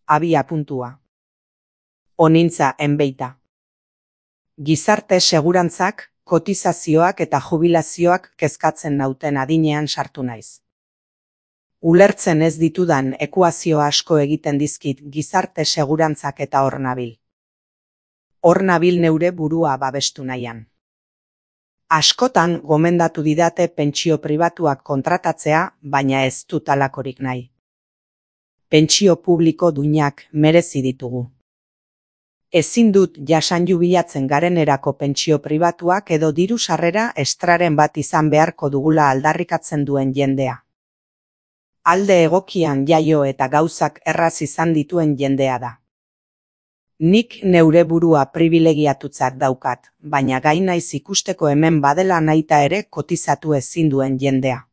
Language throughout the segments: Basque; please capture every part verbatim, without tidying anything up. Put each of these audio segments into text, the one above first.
abia puntua. Onintza enbeita. Gizarte segurantzak, kotizazioak eta jubilazioak kezkatzen nauten adinean sartu naiz. Ulertzen ez ditudan ekuazio asko egiten dizkit gizarte segurantzak eta hor nabil. Hor nabil neure burua babestu nahian. Askotan gomendatu didate pentsio pribatuak kontratatzea, baina ez dut halakorik nahi. Pentsio publiko duinak merezi ditugu. Ezin dut jasan jubilatzen garenerako pentsio pribatuak edo diru sarrera estraren bat izan beharko dugula aldarrikatzen duen jendea. Alde egokian jaio eta gauzak erraz izan dituen jendea da. Nik neure burua pribilegiatutzat daukat, baina gai naiz ikusteko hemen badela nahita ere kotizatu ezin duen jendea.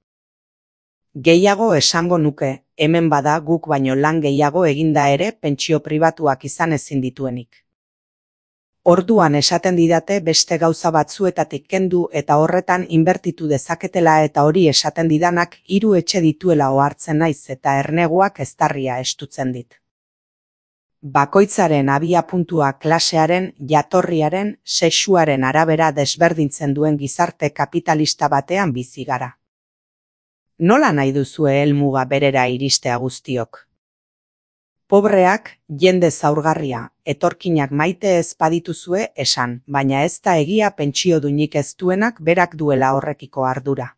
Gehiago esango nuke, hemen bada guk baino lan gehiago eginda ere pentsio pribatuak izan ezin dituenik. Orduan esaten didate beste gauza batzuetatik kendu eta horretan inbertitu dezaketela eta hori esaten didanak hiru etxe dituela ohartzen naiz eta erneguak eztarria estutzen dit. Bakoitzaren abia puntua klasearen, jatorriaren, sexuaren arabera desberdintzen duen gizarte kapitalista batean bizi gara. Nola nahi duzue helmuga berera iristea guztiok? Pobreak, jende zaurgarria, etorkinak maite ez badituzue esan, baina ez da egia pentsio duinik ez duenak berak duela horrekiko ardura.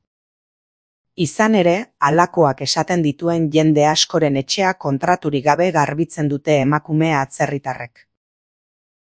Izan ere, halakoak esaten dituen jende askoren etxea kontraturik gabe garbitzen dute emakume atzerritarrek.